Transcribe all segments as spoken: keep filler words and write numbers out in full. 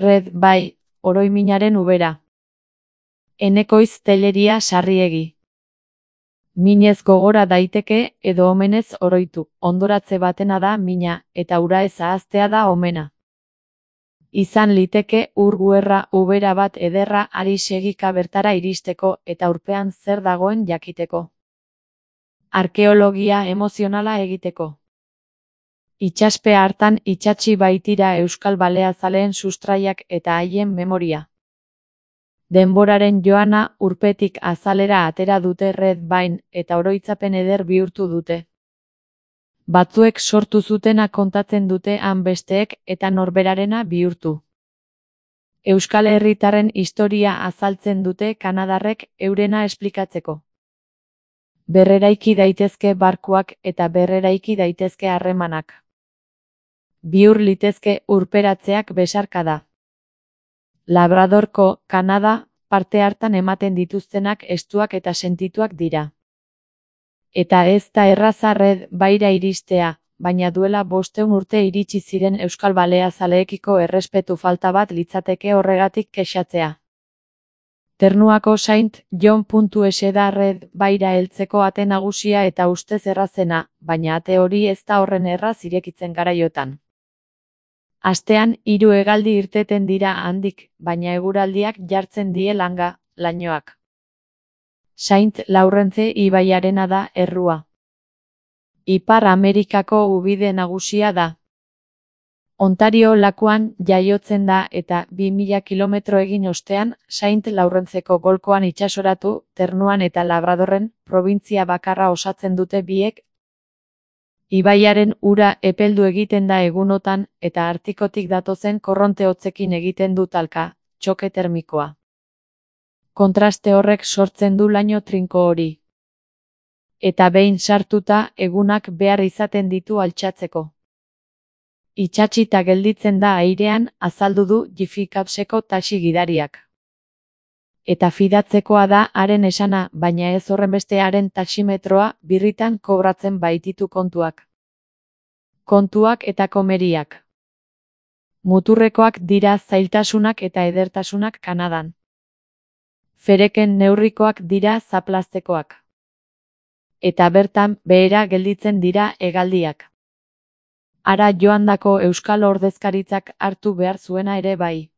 red bai, oroiminaren ubera. Enekoiz telleria sarriegi. Minez gogora daiteke edo omenez oroitu, ondoratze batena da mina, eta ura ez ahaztea da omena. Izan liteke ur guerra ubera bat ederra ari segika bertara iristeko eta urpean zer dagoen jakiteko. Arkeologia emozionala egiteko. Itxaspe hartan itsatsi baitira euskal baleazaleen sustraiak eta haien memoria. Denboraren joana urpetik azalera atera dute red bain eta oroitzapen eder bihurtu dute. Batzuek sortu zutena kontatzen dute han besteek eta norberarena bihurtu. Euskal herritarren historia azaltzen dute kanadarrek eurena esplikatzeko. Berreraiki daitezke barkuak eta berreraiki daitezke harremanak. Bihur litezke urperatzeak besarkada. Labradorko, Kanada, parte hartan ematen dituztenak estuak eta sentituak dira. Eta ez da erraza red baira iristea, baina duela bosteun urte iritsi ziren euskal baleazaleekiko errespetu falta bat litzateke horregatik kexatzea. Ternuako Saint John.es da red baira heltzeko ate nagusia eta ustez errazena, baina ate hori ez da horren erraz irekitzen garaiotan. Astean hiru hegaldi irteten dira handik, baina eguraldiak jartzen die langa, lainoak. Saint Laurence ibaiarena da errua. Ipar Amerikako ubide nagusia da. Ontario lakuan jaiotzen da eta bi mila kilometro egin ostean Saint Laurenceko golkoan itsasoratu, Ternuan eta Labradorren probintzia bakarra osatzen dute biek. Ibaiaren ura epeldu egiten da egunotan eta Artikotik datozen korronte hotzekin egiten du talka, txoke termikoa. Kontraste horrek sortzen du laino trinko hori. Eta behin sartuta egunak behar izaten ditu altxatzeko. Itxatxita gelditzen da airean, azaldu du Jifikapseko taxi gidariak. Eta fidatzekoa da haren esana, baina ez horrenbeste haren taximetroa birritan kobratzen baititu kontuak. Kontuak eta komeriak. Muturrekoak dira zailtasunak eta edertasunak Kanadan. Fereken neurrikoak dira zaplaztekoak. Eta bertan behera gelditzen dira hegaldiak. Hara joandako euskal ordezkaritzak hartu behar zuena ere bai.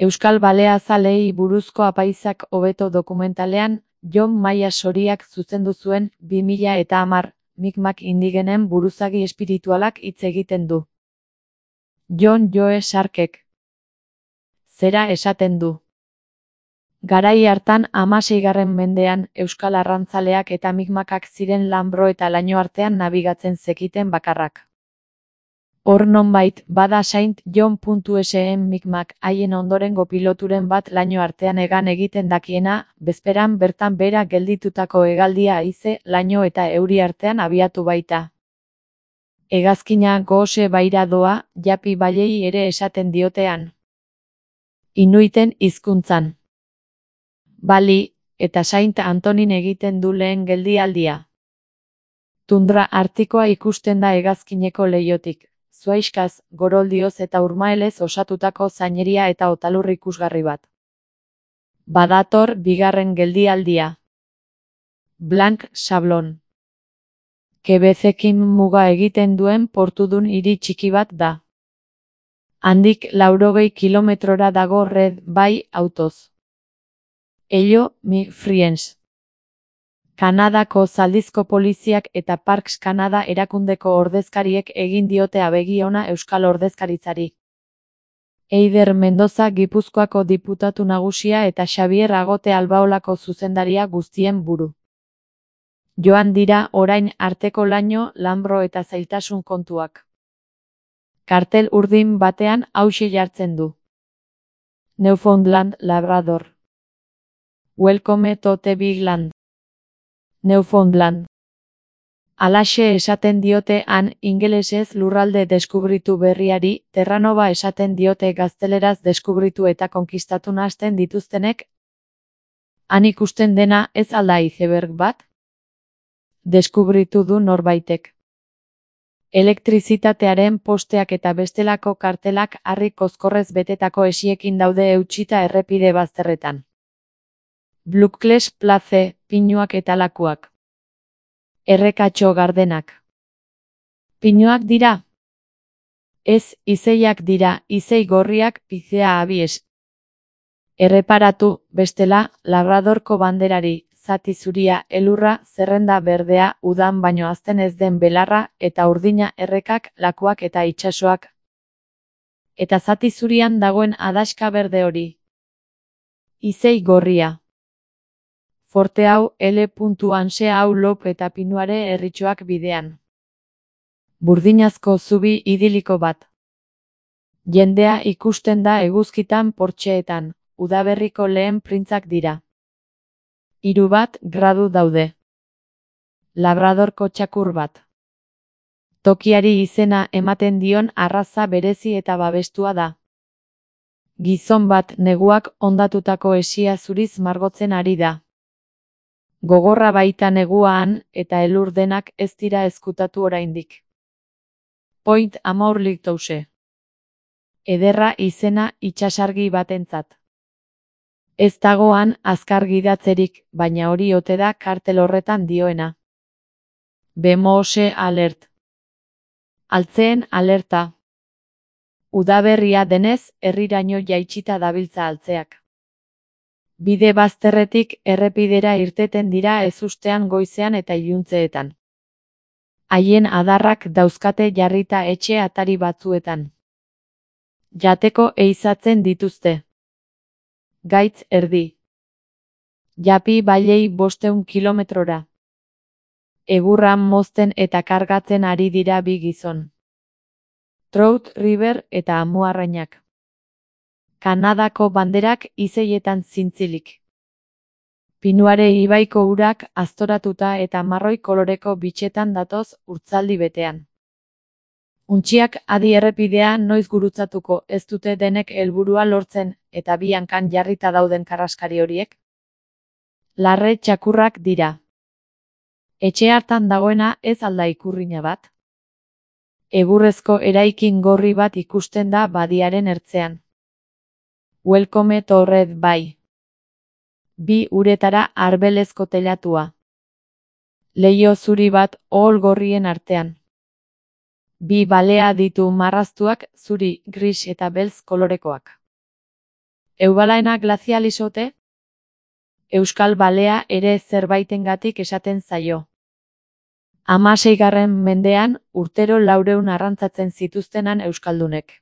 Euskal baleazaleei buruzko apaizak hobeto dokumentalean, Jon Maia Soriak zuzendu zuen bi mila eta hamar, Micmac indigenen buruzagi espiritualak hitz egiten du. Jon Joe Sarkek. Zera esaten du. Garai hartan hamaseigarren mendean euskal arrantzaleak eta Micmacak ziren Lanbro eta laino artean nabigatzen zekiten bakarrak. Hor nonbait, bada Saint John.esen Micmac haien ondorengo piloturen bat laino artean egan egiten dakiena, bezperan bertan bera gelditutako hegaldia haize, laino eta euri artean abiatu baita. Hegazkina gose baira doa, japi bailei ere esaten diotean. Inuiten hizkuntzan. Bali, eta Saint Antonin egiten du lehen geldialdia. Tundra artikoa ikusten da hegazkineko leiotik. Zuaiskaz, goroldioz eta urmaelez osatutako zaineria eta otalur ikusgarri bat. Badator bigarren geldialdia. Blanc Sablon. Kebezekin muga egiten duen portudun hiri txiki bat da. Handik laurogei kilometrora dago red bai autoz. Ello, mi friends. Kanadako zaldizko poliziak eta Parks Kanada erakundeko ordezkariek egin diote abegi ona euskal ordezkaritzari. Eider Mendoza Gipuzkoako diputatu nagusia eta Xabier Agote Albaolako zuzendaria guztien buru. Joan dira orain arteko laino, Lanbro eta zailtasun kontuak. Kartel urdin batean hauxe jartzen du. Newfoundland, Labrador. Welcome to the big land. Newfoundland. Alaxe esaten diote han ingelesez lurralde deskubritu berriari, Terranova esaten diote gazteleraz deskubritu eta konkistatu nahasten dituztenek. Han ikusten dena ez alda iceberg bat? Deskubritu du norbaitek. Elektrizitatearen posteak eta bestelako kartelak harri kozkorrez betetako esiekin daude eutsita errepide bazterretan. Blockles Place, pinuak eta lakuak. Errekatxo gardenak. Pinuak dira? Ez, izeiak dira, izei gorriak, pizea abies. Erreparatu, bestela, Labradorko banderari, zati zuria, elurra, zerrenda berdea, udan baino hazten ez den belarra, eta urdina, errekak, lakuak eta itsasoak. Eta zati zurian dagoen adaxka berde hori. Izei gorria. Forte hau, L. Anse hau lop eta pinuare erritxoak bidean. Burdinazko zubi idiliko bat. Jendea ikusten da eguzkitan portxeetan, udaberriko lehen printzak dira. Hiru bat gradu daude. Labradorko txakur bat. Tokiari izena ematen dion arraza berezi eta babestua da. Gizon bat neguak hondatutako esia zuriz margotzen ari da. Gogorra baita neguaan eta elur denak ez dira ezkutatu oraindik. Point Amour Lighthouse. Ederra izena itsasargi batentzat. Ez dagoan azkar gidatzerik, baina hori ote da kartel horretan dioena. Bemose alert. Altzeen alerta. Udaberria denez, herriraino jaitsita dabiltza altzeak. Bide bazterretik errepidera irteten dira ezustean goizean eta iluntzeetan. Haien adarrak dauzkate jarrita etxe atari batzuetan. Jateko eizatzen dituzte. Gaitz erdi. Japi bailei bosteun kilometrora. Egurran mozten eta kargatzen ari dira bi gizon. Trout River eta amuarrainak. Kanadako banderak izeietan zintzilik. Pinuare ibaiko urak aztoratuta eta marroi koloreko bitxetan datoz urtzaldi betean. Untxiak adi errepidea noiz gurutzatuko ez dute denek helburua lortzen eta bi hankan jarrita dauden karraskari horiek? Larre txakurrak dira. Etxe hartan dagoena ez alda ikurrina bat? Egurrezko eraikin gorri bat ikusten da badiaren ertzean. Welcome to Red Bay. Bi uretara arbelezko telatua. Leiho zuri bat ohol gorrien artean. Bi balea ditu marraztuak, zuri, gris eta beltz kolorekoak. Eubalaena glazial izote? Euskal balea ere zerbaitengatik esaten zaio. Hamaseigarren mendean, urtero laureun arrantzatzen zituztenan euskaldunek.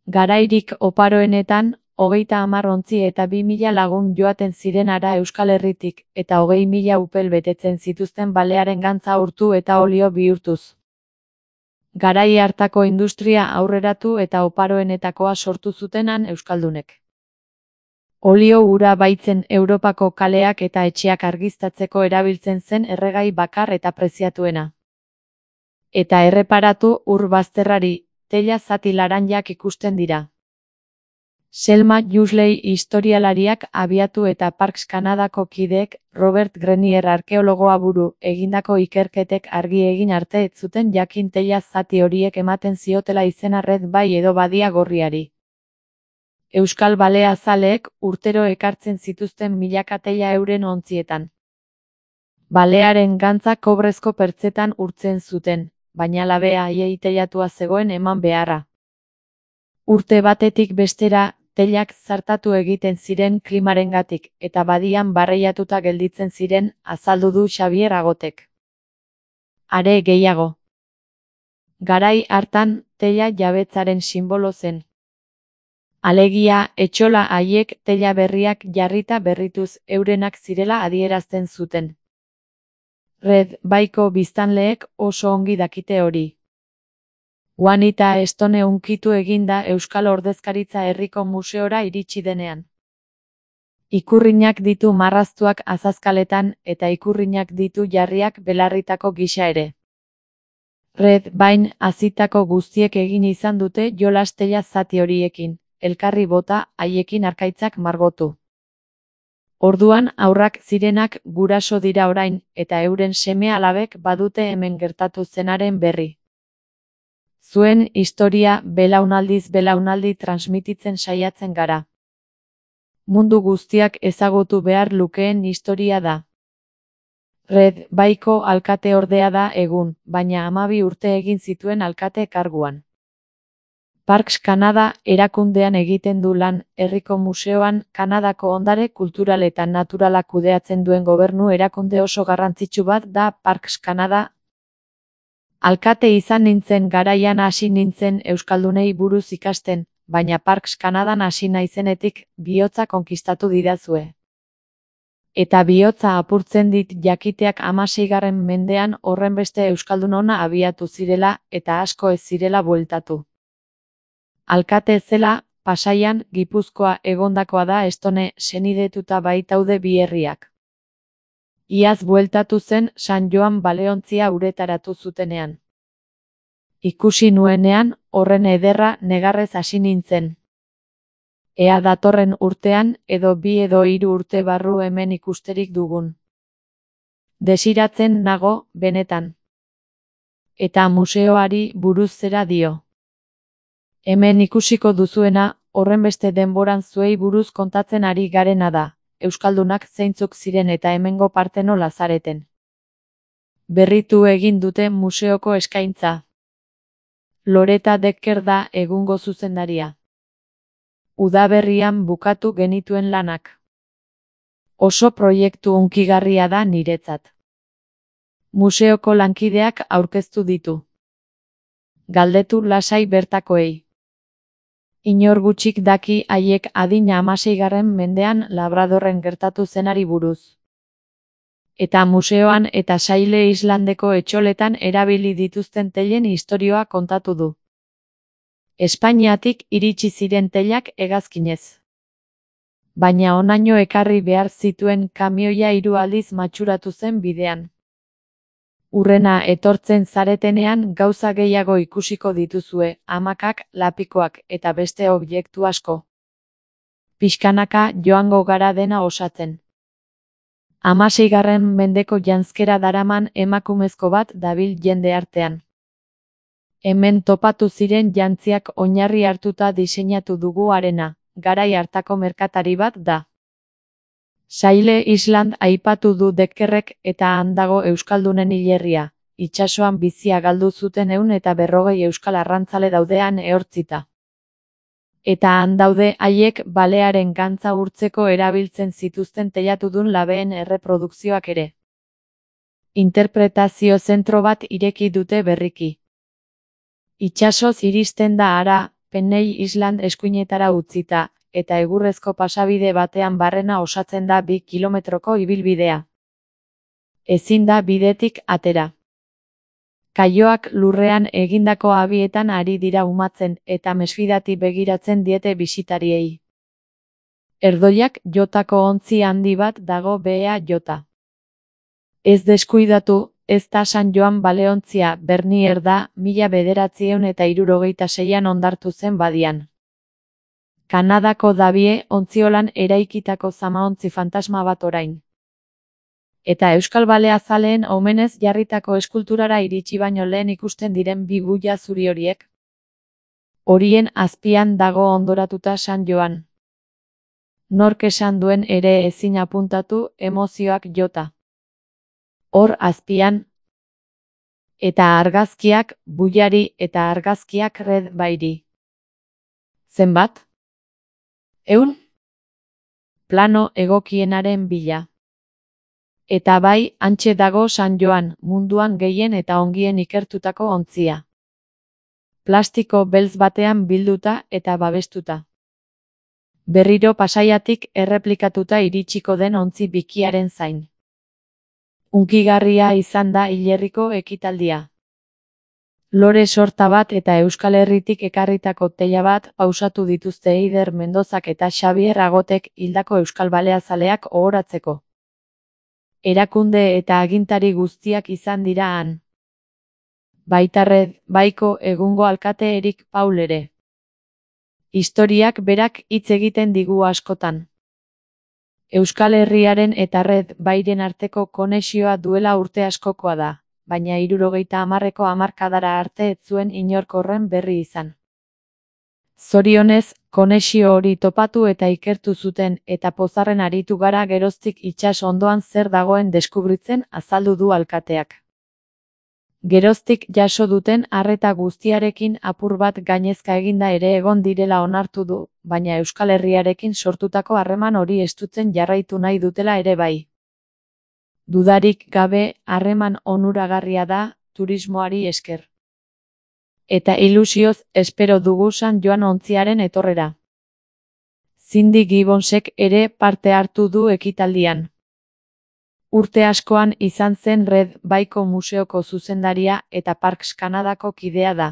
Garairik oparoenetan, hogeita hamar ontzi eta bi mila lagun joaten ziren ara Euskal Herritik, eta hogei mila upel betetzen zituzten balearen gantza urtu eta olio bihurtuz. Garai hartako industria aurreratu eta oparoenetakoa sortu zutenan euskaldunek. Olio ura baitzen Europako kaleak eta etxeak argiztatzeko erabiltzen zen erregai bakar eta preziatuena. Eta erreparatu ur bazterrari, tela zati laranjak ikusten dira. Selma Jusley historialariak abiatu eta Parks Kanadako kideek Robert Grenier arkeologoa buru egindako ikerketek argi egin arte ez zuten jakin tela zati horiek ematen ziotela izena Red Bay edo Badia Gorriari. Euskal balea zaleek urtero ekartzen zituzten milaka tela euren ontzietan. Balearen gantza kobrezko pertzetan urtzen zuten, baina labea haiei telatua zegoen eman beharra. Urte batetik bestera, telak zartatu egiten ziren klimarengatik, eta badian barreiatuta gelditzen ziren, azaldu du Xabier Agotek. Are gehiago. Garai hartan, tela jabetzaren sinbolo zen. Alegia, etxola haiek tela berriak jarrita berrituz eurenak zirela adierazten zuten. Red Bayko biztanleek oso ongi dakite hori. Juanita Stone unkitu eginda Euskal Ordezkaritza Herriko Museora iritsi denean. Ikurrinak ditu marraztuak azazkaletan eta ikurrinak ditu jarriak belarritako gisa ere. Red Bayn hazitako guztiek egin izan dute jolas tela zati horiekin, elkarri bota haiekin arkaitzak margotu. Orduan haurrak zirenak guraso dira orain eta euren seme alabek badute hemen gertatu zenaren berri. Zuen historia belaunaldiz belaunaldi transmititzen saiatzen gara. Mundu guztiak ezagutu behar lukeen historia da. Red Baiko alkateordea da egun, baina hamabi urte egin zituen alkate karguan. Parks Kanada erakundean egiten du lan, herriko museoan, Kanadako ondare kultural eta naturala kudeatzen duen gobernu erakunde oso garrantzitsu bat da Parks Kanada. Alkate izan nintzen garaian hasi nintzen euskaldunei buruz ikasten, baina Parks Kanadan hasi naizenetik bihotza konkistatu didazue. Eta bihotza apurtzen dit jakiteak hamaseigarren mendean horrenbeste euskaldun ona abiatu zirela eta asko ez zirela bueltatu. Alkate zela, Pasaian, Gipuzkoa egondakoa da estone senidetuta baitaude bi herriak. Iaz bueltatu zen San Joan baleontzia uretaratu zutenean. Ikusi nuenean, horren ederra negarrez hasi nintzen. Ea datorren urtean, edo bi edo hiru urte barru hemen ikusterik dugun. Desiratzen nago, benetan. Eta museoari buruz zera dio. Hemen ikusiko duzuena, horrenbeste denboran zuei buruz kontatzen ari garena da, euskaldunak zeintzuk ziren eta hemengo partenola zareten. Berritu egin dute museoko eskaintza. Loreta Decker da egungo zuzendaria. Udaberrian bukatu genituen lanak. Oso proiektu hunkigarria da niretzat. Museoko lankideak aurkeztu ditu. Galdetu lasai bertakoei. Inor gutxik daki haiek adina hamaseigarren mendean Labradorren gertatu zenari buruz. Eta museoan eta Saile Islandeko etxoletan erabili dituzten teilen istorioa kontatu du. Espainiatik iritsi ziren teilak hegazkinez. Baina honaino ekarri behar zituen kamioia hiru aldiz matxuratu zen bidean. Urrena etortzen zaretenean gauza gehiago ikusiko dituzue, hamakak, lapikoak eta beste objektu asko. Pixkanaka joango gara dena osatzen. Hamaseigarren mendeko janzkera daraman emakumezko bat dabil jende artean. Hemen topatu ziren jantziak oinarri hartuta diseinatu dugu arena, garai hartako merkatari bat da. Saile Island aipatu du Deckerrek eta han dago euskaldunen hilerria, itsasoan bizia galdu zuten ehun eta berrogei euskal arrantzale daudean ehortzita. Eta han daude haiek balearen gantza urtzeko erabiltzen zituzten teilatudun labeen erreprodukzioak ere. Interpretazio zentro bat ireki dute berriki. Itsasoz iristen da hara, Penney Island eskuinetara utzita, eta egurrezko pasabide batean barrena osatzen da bi kilometroko ibilbidea. Ezin da bidetik atera. Kaioak lurrean egindako abietan ari dira umatzen eta mesfidati begiratzen diete bisitariei. Erdoiak jotako ontzi handi bat dago behea jota. Ez deskuidatu, ez da San Joan baleontzia Bernier da mila bederatziehun eta hirurogeita seian ondartu zen badian. Kanadako dabie ontziolan eraikitako zamaontzi fantasma bat orain. Eta euskal balea zaleen omenez jarritako eskulturara iritsi baino lehen ikusten diren bi buia zuri horiek. Horien azpian dago ondoratuta San Joan. Nork esan duen ere ezin apuntatu emozioak jota. Hor azpian. Eta argazkiak buiari eta argazkiak Red Bairi. Zenbat? Eun? Plano egokienaren bila. Eta bai, hantxe dago San Joan, munduan gehien eta ongien ikertutako ontzia. Plastiko beltz batean bilduta eta babestuta. Berriro Pasaiatik erreplikatuta iritsiko den ontzi bikiaren zain. Hunkigarria izan da hilerriko ekitaldia. Lore sorta bat eta Euskal Herritik ekarritako teila bat pausatu dituzte Eider Mendozak eta Xabier Agotek hildako euskal baleazaleak ohoratzeko. Erakunde eta agintari guztiak izan dira han. Baita Red Baiko egungo alkate Erik Paul ere. Historiak berak hitz egiten digu askotan. Euskal Herriaren eta Red Bairen arteko konexioa duela urte askokoa da, baina hirurogeita hamarreko hamarkadara arte ez zuen inork horren berri izan. Zorionez, konexio hori topatu eta ikertu zuten eta pozarren aritu gara geroztik itsas ondoan zer dagoen deskubritzen, azaldu du alkateak. Geroztik jaso duten arreta guztiarekin apur bat gainezka eginda ere egon direla onartu du, baina Euskal Herriarekin sortutako harreman hori estutzen jarraitu nahi dutela ere bai. Dudarik gabe, harreman onuragarria da, turismoari esker. Eta ilusioz espero dugu San Joan ontziaren etorrera. Cindy Gibbonsek ere parte hartu du ekitaldian. Urte askoan izan zen Red Baiko museoko zuzendaria eta Parks Kanadako kidea da.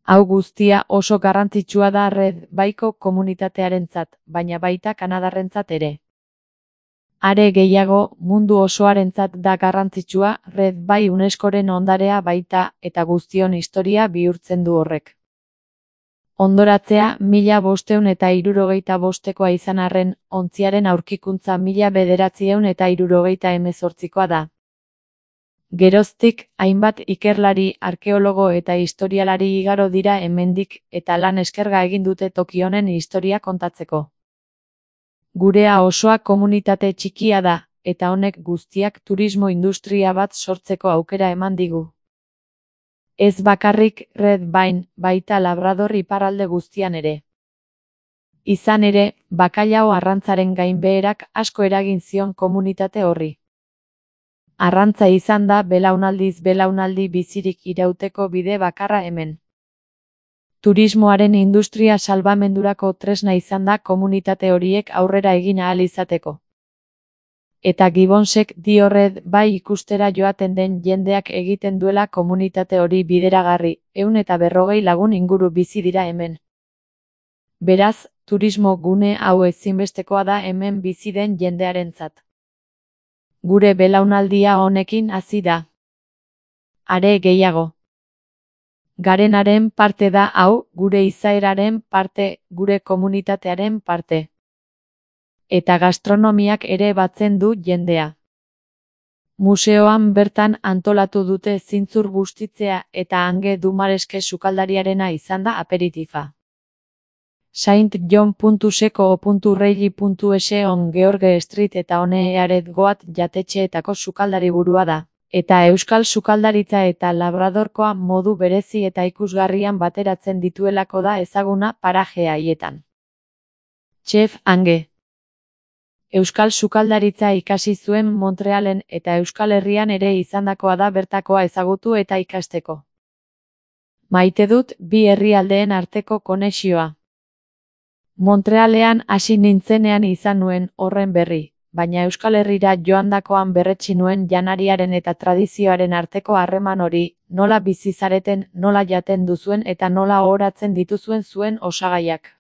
Hau guztia oso garrantzitsua da Red Baiko komunitatearentzat, baina baita Kanadarrentzat ere. Are gehiago, mundu osoarentzat da garrantzitsua, Red Bai UNESCOren ondarea baita eta guztion historia bihurtzen du horrek. Hondoratzea mila bostehun eta hirurogeita bostekoa izan arren, ontziaren aurkikuntza mila bederatziehun eta hirurogeita hemezortzikoa da. Geroztik, hainbat ikerlari, arkeologo eta historialari igaro dira hemendik eta lan eskerga egin dute toki honen historia kontatzeko. Gurea osoa komunitate txikia da, eta honek guztiak turismo industria bat sortzeko aukera eman digu. Ez bakarrik Red Bain, baita Labrador iparralde guztian ere. Izan ere, bakailao arrantzaren gainbeherak asko eragin zion komunitate horri. Arrantza izan da belaunaldiz belaunaldi bizirik irauteko bide bakarra hemen. Turismoaren industria salbamendurako tresna izan da komunitate horiek aurrera egin ahal izateko. Eta Gibbonsek dio Red Bai ikustera joaten den jendeak egiten duela komunitate hori bideragarri, ehun eta berrogei lagun inguru bizi dira hemen. Beraz, turismo gune hau ezinbestekoa da hemen bizi den jendearentzat. Gure belaunaldia honekin hasi da. Are gehiago. Garenaren parte da hau, gure izaeraren parte, gure komunitatearen parte. Eta gastronomiak ere batzen du jendea. Museoan bertan antolatu dute zintzur bustitzea eta hange dumareske sukaldariarena izan da aperitifa. Saint John puntu seco puntu reilly puntu es on George Street eta one earet goat jatetxeetako sukaldari burua da. Eta euskal sukaldaritza eta labradorkoa modu berezi eta ikusgarrian bateratzen dituelako da ezaguna paraje haietan. Chef Ange. Euskal sukaldaritza ikasi zuen Montrealen eta Euskal Herrian ere izandakoa da bertakoa ezagutu eta ikasteko. Maite dut bi herrialdeen arteko konexioa. Montrealean hasi nintzenean izan nuen horren berri, baina Euskal Herrira joandakoan berretsi nuen janariaren eta tradizioaren arteko harreman hori, nola bizi zareten, nola jaten duzuen eta nola ohoratzen dituzuen zuen osagaiak.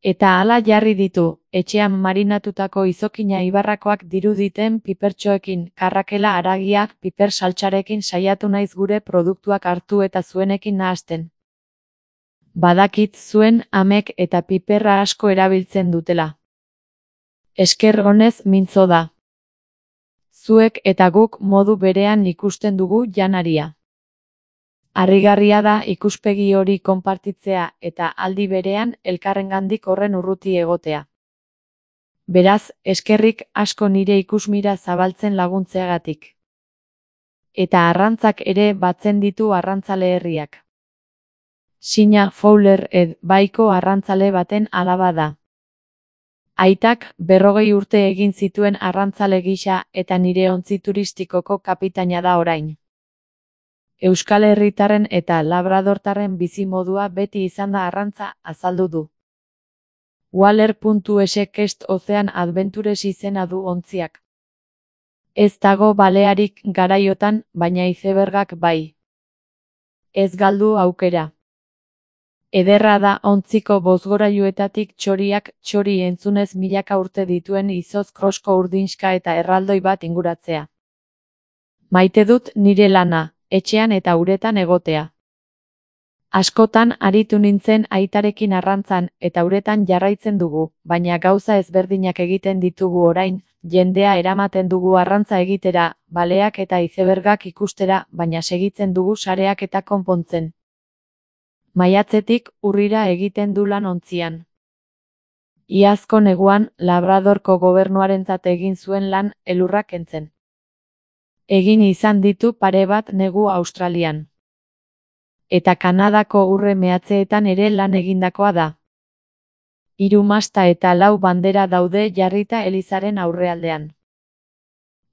Eta hala jarri ditu, etxean marinatutako izokina ibarrakoak diruditen pipertxoekin, karrakela haragia, piper saltsarekin saiatu naiz gure produktuak hartu eta zuenekin nahasten. Badakit zuen amek eta piperra asko erabiltzen dutela. Esker honez mintzo da. Zuek eta guk modu berean ikusten dugu janaria. Harrigarria da ikuspegi hori konpartitzea eta aldi berean elkarrengandik horren urruti egotea. Beraz, eskerrik asko nire ikusmira zabaltzen laguntzeagatik. Eta arrantzak ere batzen ditu arrantzale herriak. Sina Fowler Ed Baiko arrantzale baten alaba da. Aitak berrogei urte egin zituen arrantzale gisa eta nire ontzi turistikoko kapitaina da orain. Euskal Herritarren eta Labradortarren bizimodua beti izan da arrantza, azaldu du. Waller puntu es Kest Ozean Adventures izena du ontziak. Ez dago balearik garaiotan, baina izebergak bai. Ez galdu aukera. Ederra da ontziko bozgorailuetatik txoriak txori entzunez milaka urte dituen izoz krosko urdinska eta erraldoi bat inguratzea. Maite dut nire lana, etxean eta uretan egotea. Askotan aritu nintzen aitarekin arrantzan eta uretan jarraitzen dugu, baina gauza ezberdinak egiten ditugu orain, Jendea eramaten dugu arrantza egitera, baleak eta izebergak ikustera, baina segitzen dugu sareak eta konpontzen. Maiatzetik urrira egiten du lan ontzian. Iazko neguan, Labradorko gobernuarentzat egin zuen lan, elurrak kentzen. Egin izan ditu pare bat negu Australian. Eta Kanadako urre mehatzeetan ere lan egindakoa da. Hiru masta eta lau bandera daude jarrita elizaren aurrealdean.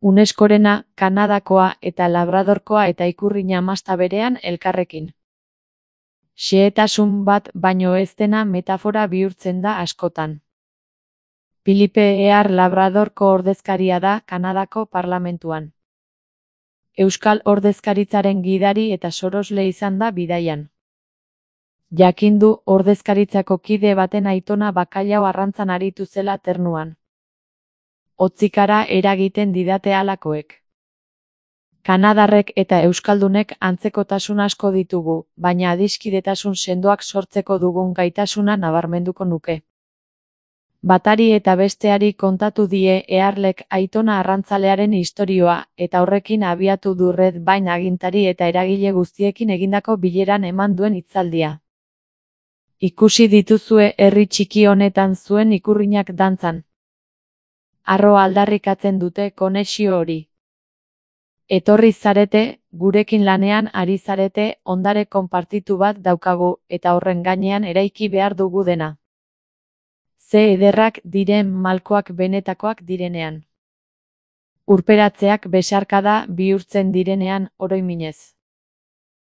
UNESCOrena, Kanadakoa eta Labradorkoa eta ikurrina masta berean elkarrekin. Xehetasun bat baino ez dena metafora bihurtzen da askotan. Philippe Ear Labradorko ordezkaria da Kanadako parlamentuan. Euskal ordezkaritzaren gidari eta sorosle izan da bidaian. Jakindu ordezkaritzako kide baten aitona bakailau arrantzan aritu zela ternuan. Hotzikara eragiten didate halakoek. Kanadarrek eta euskaldunek antzekotasun asko ditugu, baina adiskidetasun sendoak sortzeko dugun gaitasuna nabarmenduko nuke. Batari eta besteari kontatu die Earlek aitona arrantzalearen istorioa, eta horrekin abiatu du Red Vine agintari eta eragile guztiekin egindako bileran eman duen hitzaldia. Ikusi dituzue herri txiki honetan zuen ikurrinak dantzan. Harro aldarrikatzen dute konexio hori. Etorri zarete, gurekin lanean ari zarete, ondare konpartitu bat daukagu, eta horren gainean eraiki behar dugu dena. Ze ederrak diren malkoak benetakoak direnean. Urperatzeak besarkada bihurtzen direnean, oroiminez.